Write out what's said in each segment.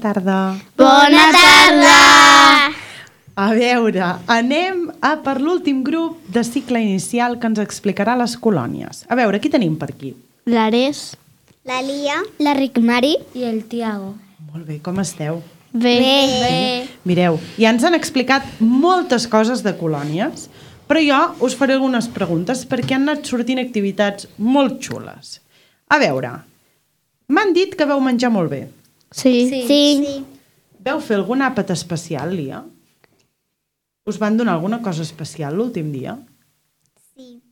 tarda. Bona tarda! A veure, anem per l'últim grup de cicle inicial que ens explicarà les colònies. A veure, qui tenim per aquí? L'Ares, La Lia, la Ricmari i el Tiago. Molt bé, com esteu? Bé. Mireu, ja ens han explicat moltes coses de colònies, però jo us faré algunes preguntes perquè han anat sortint activitats molt xules. A veure, m'han dit que vau menjar molt bé. Sí. Vau fer algun àpat especial, Lia? Us van donar alguna cosa especial l'últim dia? Sí.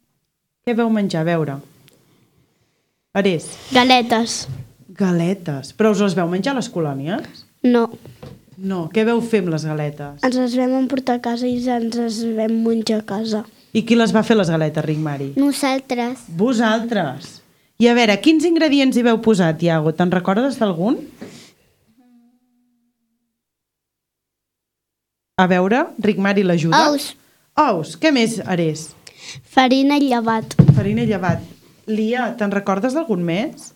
Què vau menjar? A veure. Ares. Galetes. Galetes. Però us les vau menjar a les colònies? No. No. Què vau fer amb les galetes? Ens les vam emportar a casa i ens les vam menjar a casa. I qui les va fer, les galetes, Ricmari? Nosaltres. Vosaltres. I a veure, quins ingredients hi veu posar, Tiago? Te'n recordes d'algun? A veure, Ricmari l'ajuda. Ous. Ous. Què més, Ares? Farina i llevat. Farina i llevat. Lia, te'n recordes d'algun més?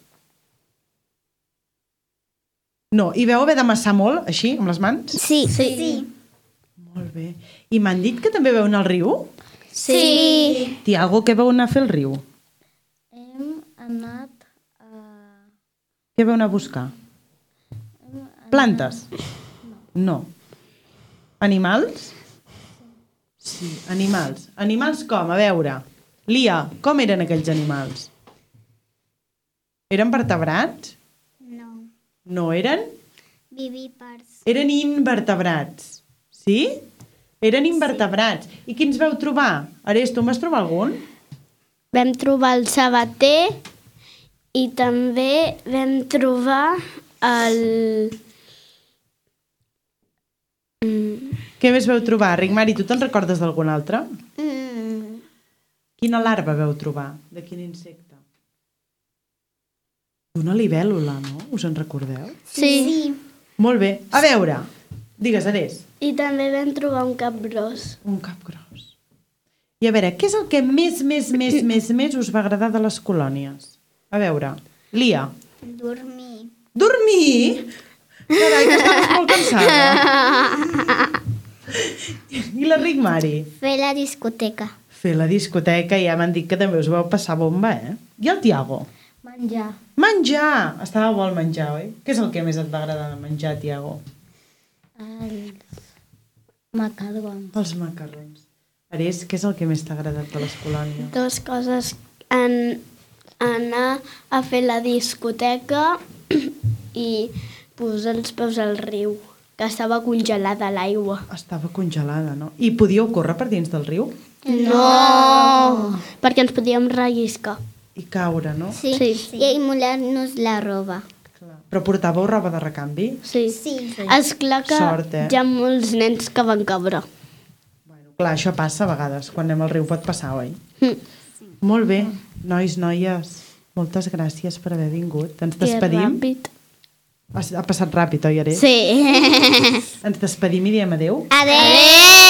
No. I veu haver d'amassar molt, així, amb les mans? Sí. Molt bé. I m'han dit que també veu anar al riu? Sí. Tiago, què veu anar a fer al riu? Hem anat Què veu anar a buscar? Plantes? No. Animals? Sí, animals. Animals com? A veure. Lia, com eren aquells animals? Eren vertebrats? No. No eren? Vivípars. Eren invertebrats. Sí? Eren invertebrats. I quins veu trobar? Ares, tu en vas trobar algun? Vam trobar el sabater i també vam trobar el... Què més veu trobar? Ricmari, tu te'n recordes d'algun altre? Quina larva veu trobar? De quin insecte? D'una libèl·lula, no? Us en recordeu? Sí. Molt bé. A veure, digues, Ares. I també vam trobar un cap gros. Un cap gros. I a veure, què és el que més us va agradar de les colònies? A veure, Lia. Dormir. Dormir? Carai, que estaves molt cansada. I la Ricmari? Fer la discoteca. Fer la discoteca, ja m'han dit que també us vau passar bomba, eh? I el Tiago? Menjar. Menjar! Estava bo el menjar, oi? Què és el que més et va agradar de menjar, Tiago? Els macarrons. Els macarrons. Ares, què és el que més t'ha agradat de les colònies? Dos coses. Anar a fer la discoteca i posar els peus al riu, que estava congelada l'aigua. Estava congelada, no? I podíeu córrer per dins del riu? No! Perquè ens podíem relliscar. I caure, no? Sí. I molar-nos la roba. Clar. Però portàveu roba de recanvi? Sí. Sí. Esclar que Sort, eh? hi ha molts nens que van cabre. Bueno, clar, això passa a vegades. Quan anem al riu pot passar, oi? Molt bé. Nois, noies, moltes gràcies per haver vingut. Ens despedim. Que ràpid. Ha passat ràpid, oi, Ares? Sí. Ens despedim i diem adeu. Adéu!